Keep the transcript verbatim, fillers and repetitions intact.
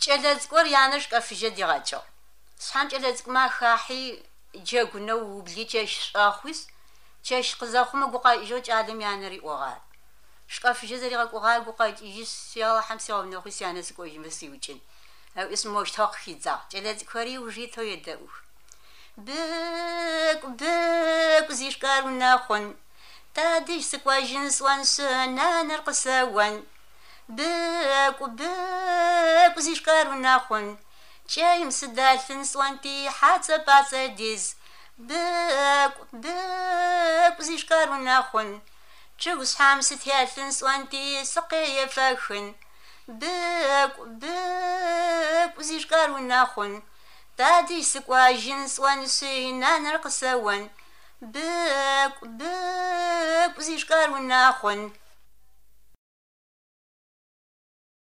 ჭელეძკორ იანაშ კაფიჟე დიღაჭო სამ ჭელეძკმა ხაჰი ჯეგუნო უბლიჭეშ ახვის ჭეშ ყზახუმა გუყა იჟო ჭადემ იანერი ოღა შკაფიჟე ზერიღა ყუღა გუყა იჟ სიალა ჰამსიავნ ნოხის იანეს კოჟი მესიუჭინ ის მოშთახ ხიძა ჭელეძკორი უჟი თოედეუ ბეკ ბეკ ზიშკარულნა ხონ დადი სკვაჟინ სვანს ნანერ ყსავან ბეკ ბეკ ზიშკარულნა ხონ ჭეიმს დალფინ სვანტი ჰაცა პაცედის ბეკ ბეკ ზიშკარულნა ხონ ჭუს ჰამს თალფინ სვანტი სყეიფახын ბეკ ბეკ ზიშკარულნა ხონ დადი სკვაჟინ სვანს ნანერ ყსავან ბეკ ბეკ ზიშკარულნა ხონ